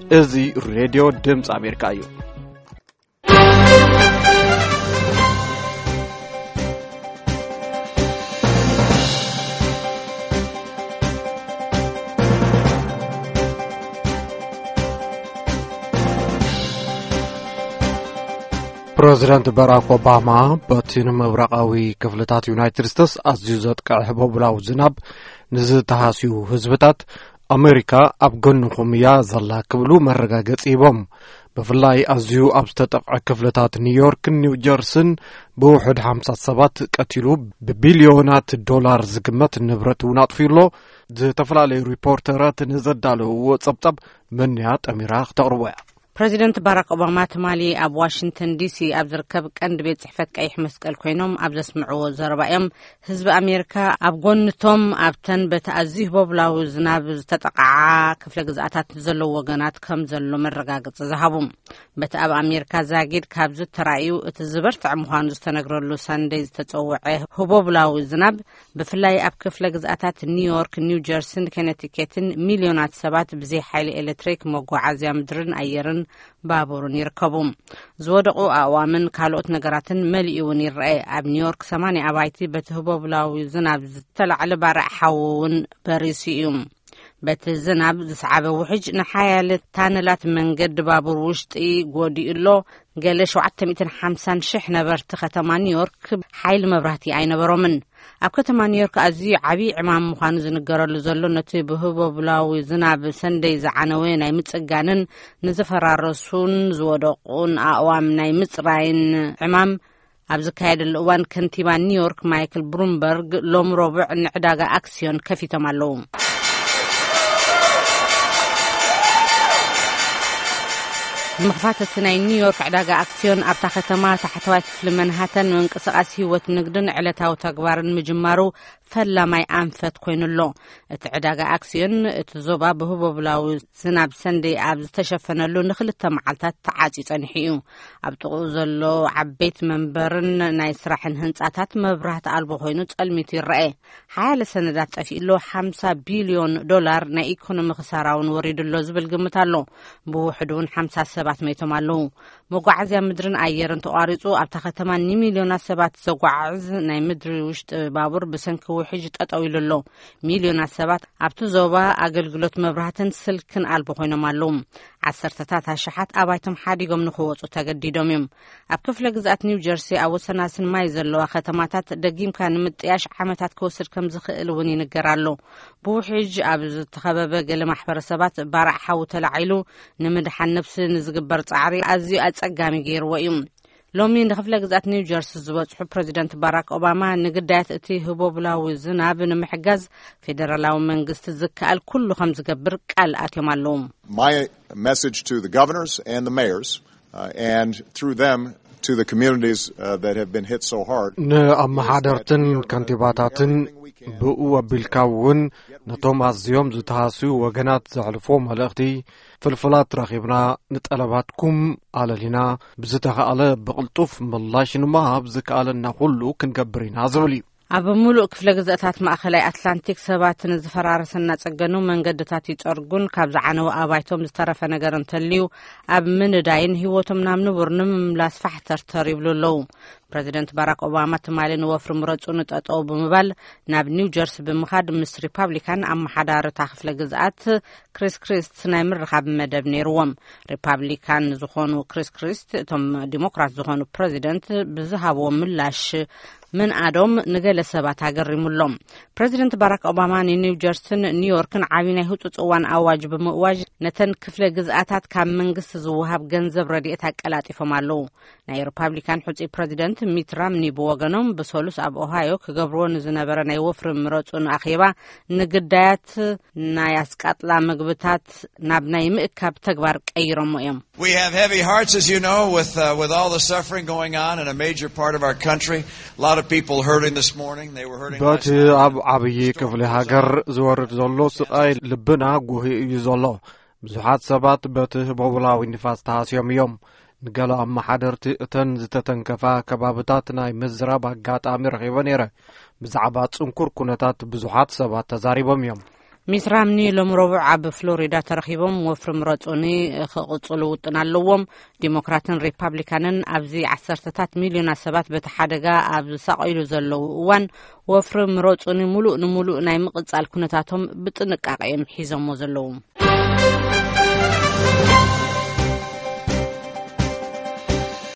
እዚ ሬድዮ ድምፂ ኣሜሪካ እዩ። ፕረዚደንት ባራክ ኦባማ በቲ ንምብራቓዊ ክፍልታት ዩናይትድ ስቴትስ ኣዝዩ ዘጥቅዐ ህቦብላዊ ዝናብ ንዝተሃስዩ ህዝብታት፣ ኣሜሪካ ኣብ ጎንኹም እያ ዘላ ክብሉ መረጋገጺ ሂቦም። ብፍላይ ኣዝዩ ኣብ ዝተጠቕዐ ክፍልታት ኒውዮርክን ኒው ጀርሲን ብውሑድ ሓምሳ ሰባት ቀቲሉ ብቢልዮናት ዶላር ዝግመት ንብረት እውን ኣጥፍዩ ኣሎ። ዝተፈላለዩ ሪፖርተራት ንዘዳለውዎ ጸብጻብ መንያ ጠሚራ ክተቕርቦ እያ። ፕረዚደንት ባራክ ኦባማ ትማሊ ኣብ ዋሽንግተን ዲሲ ኣብ ዝርከብ ቀንዲ ቤት ጽሕፈት ቀይሕ መስቀል ኮይኖም ኣብ ዘስምዕዎ ዘረባ እዮም፣ ህዝቢ ኣሜሪካ ኣብ ጎንቶም ኣብተን በቲ ኣዝዩ ህቦብላዊ ዝናብ ዝተጠቕዓ ክፍለ ግዝኣታት ዘለዉ ወገናት ከም ዘሎ መረጋገጺ ዝሃቡ። በቲ ኣብ ኣሜሪካ ዛጊድ ካብ ዝተራእዩ እቲ ዝበርትዐ ምዃኑ ዝተነግረሉ ሰንደይ ዝተጸውዐ ህቦብላዊ ዝናብ፣ ብፍላይ ኣብ ክፍለ ግዝኣታት ኒውዮርክ፣ ኒው ጀርሲን ኮነቲኬትን፣ ሚልዮናት ሰባት ብዘይ ሓይሊ ኤሌክትሪክ፣ መጓዓዝያ ምድርን ኣየርን ባቡርን ይርከቡ። ዝወደቑ ኣእዋምን ካልኦት ነገራትን መሊኡ እውን ይረአ። ኣብ ኒውዮርክ ሰማንያ ኣባይቲ በቲ ህቦብላዊ ዝናብ ዝተላዕለ ባርዕ ሓዊ እውን በሪሱ እዩ። በቲ ዝናብ ዝሰዓበ ውሕጅ ንሓያለ ታነላት መንገዲ ባቡር ውሽጢ ጎዲኡ ኣሎ። ገለ ሸውዓተ ሚእትን ሓምሳን ሽሕ ነበርቲ ከተማ ኒውዮርክ ሓይሊ መብራህቲ ኣይነበሮምን። ኣብ ከተማ ኒውዮርክ ኣዝዩ ዓብዪ ዕማም ምዃኑ ዝንገረሉ ዘሎ፣ ነቲ ብህቦብላዊ ዝናብ ሰንደይ ዝዓነወ ናይ ምጽጋንን ንዝፈራረሱን ዝወደቑን ኣእዋም ናይ ምጽራይን ዕማም ኣብ ዝካየደሉ እዋን፣ ከንቲባ ኒውዮርክ ማይክል ብሉምበርግ ሎም ረቡዕ ንዕዳጋ ኣክስዮን ከፊቶም ኣለዉ። ብምኽፋት እቲ ናይ ኒውዮርክ ዕዳጋ ኣክስዮን፣ ኣብታ ከተማ ታሕተዋይ ክፍሊ መንሃተን ምንቅስቓስ ህይወት ንግድን ዕለታዊ ተግባርን ምጅማሩ ፈላማይ ኣንፈት ኮይኑ ኣሎ። እቲ ዕዳጋ ኣክስዮን እቲ ዞባ ብህቦብላዊ ዝናብ ሰንደይ ኣብ ዝተሸፈነሉ ንኽልተ መዓልታት ተዓጽዩ ጸኒሑ እዩ። ኣብ ጥቕኡ ዘሎ ዓበይቲ መንበርን ናይ ስራሕን ህንጻታት መብራህቲ ኣልቦ ኮይኑ ጸልሚቱ ይረአ። ሓያለ ሰነዳት ጠፊኡ ኣሎ። ሓምሳ ቢልዮን ዶላር ናይ ኢኮኖሚ ክሳራ እውን ወሪዱ ኣሎ ዝብል ግምት ኣሎ። ብውሕዱ እውን ሓምሳ ሰባት መይቶም ኣለዉ። መጓዓዝያ ምድርን ኣየርን ተቋሪጹ፣ ኣብታ ከተማ ንሚልዮናት ሰባት ዘጓዓዕዝ ናይ ምድሪ ውሽጢ ባቡር ብሰንኪ ውሕጅ ጠጠው ኢሉ ኣሎ። ሚልዮናት ሰባት ኣብቲ ዞባ ኣገልግሎት መብራህትን ስልክን ኣልቦ ኮይኖም ኣለዉ። ዓሰርተታት ኣሽሓት ኣባይቶም ሓዲጎም ንኽወጹ ተገዲዶም እዮም። ኣብ ክፍለ ግዝኣት ኒው ጀርሲ፣ ኣብ ወሰናስን ማይ ዘለዋ ከተማታት ደጊምካ ንምጥያሽ ዓመታት ክወስድ ከም ዝኽእል እውን ይንገር ኣሎ። ብውሕጅ ኣብ ዝተኸበበ ገለ ማሕበረሰባት ባርዕ ሓዊ ተላዒሉ፣ ንምድሓን ነብሲ ንዝግበር ጻዕሪ ኣዝዩ ኣጸጋሚ ገይርዎ እዩ። ሎሚ ንክፍለ ግዝኣት ኒው ጀርሲ ዝበጽሑ ፕረዚደንት ባራክ ኦባማ፣ ንግዳያት እቲ ህቦብላዊ ዝናብ ንምሕጋዝ ፌደራላዊ መንግስቲ ዝከኣል ኩሉ ከም ዝገብር ቃል ኣትዮም ኣለዉ። My message to the governors and the mayors, uh, and through them to the communities, uh, that have been hit so hard, ንኣመሓደርትን ከንቲባታትን ብኡ ኣቢልካ እውን ነቶም ኣዝዮም ዝተሃስዩ ወገናት ዘሕልፎ መልእኽቲ፣ ፍልፍላት ረኺብና፣ ንጠለባትኩም ኣለሊና፣ ብዝተኻእለ ብቕልጡፍ ምላሽ ንምሃብ ዝከኣለና ኩሉ ክንገብር ኢና ዝብል እዩ። ኣብ ምሉእ ክፍለ ግዝኣታት ማእኸላይ ኣትላንቲክ ሰባት ንዝፈራረሰ እናጸገኑ መንገድታት ይጸርጉን ካብ ዝዓነወ ኣባይቶም ዝተረፈ ነገር እንተልዩ ኣብ ምንዳይን ህይወቶም ናብ ንቡር ንምምላስ ፋሕተርተር ይብሉ ኣለዉ። ፕረዚደንት ባራክ ኦባማ ትማሊ ንወፍሪ ምረጹ ንጠጠው ብምባል ናብ ኒው ጀርሲ ብምኻድ ምስ ሪፓብሊካን ኣመሓዳሪ እታ ክፍለ ግዝኣት ክሪስ ክሪስት ናይ ምርኻብ መደብ ነይርዎም። ሪፓብሊካን ዝኾኑ ክሪስ ክሪስት እቶም ዲሞክራት ዝኾኑ ፕረዚደንት ብዝሃብዎ ምላሽ ምንኣዶም ንገለ ሰባት ኣገሪሙሎም። ፕረዚደንት ባራክ ኦባማ ንኒው ጀርሲን ኒውዮርክን ዓብዪ ናይ ህጹጽ እዋን ኣዋጅ ብምእዋጅ ነተን ክፍለ ግዝኣታት ካብ መንግስቲ ዝወሃብ ገንዘብ ረድኤት ኣቀላጢፎም ኣለዉ። ናይ ሪፓብሊካን ሕጹይ ፕረዚደንት ሚት ራምኒ ብወገኖም ብሰሉስ ኣብ ኦሃዮ ክገብርዎ ንዝነበረ ናይ ወፍሪ ምረጹን ኣኼባ ንግዳያት ናይ ኣስቃጥላ ምግብታት ናብ ናይ ምእካብ ተግባር ቀይሮሞ እዮም። We have heavy hearts, as you know, with, uh, with all the suffering going on in a major part of our country. A lot of people hurting this morning. They were hurting በቲ last night. ኣብ ዓብዪ ክፍሊ ሃገር ዝወርድ ዘሎ ስቓይ ልብና ጉሂ እዩ ዘሎ። ብዙሓት ሰባት በቲ ህቦብላዊ ንፋስ ተሃስዮም እዮም። ንገለ ኣመሓደርቲ እተን ዝተተንከፋ ከባብታት ናይ ምዝራብ ኣጋጣሚ ረኺበ ነይረ። ብዛዕባ ጽንኩር ኩነታት ብዙሓት ሰባት ተዛሪቦም እዮም። ሚት ራምኒ ሎም ረቡዕ ኣብ ፍሎሪዳ ተረኺቦም ወፍሪ ምረጹኒ ክቕጽሉ ውጥን ኣለዎም። ዲሞክራትን ሪፓብሊካንን ኣብዚ ዓሰርተታት ሚልዮናት ሰባት በቲ ሓደጋ ኣብ ዝሳቐይሉ ዘለዉ እዋን፣ ወፍሪ ምረጹኒ ሙሉእ ንሙሉእ ናይ ምቕጻል ኩነታቶም ብጥንቃቐ እዮም ሒዞሞ ዘለዉ።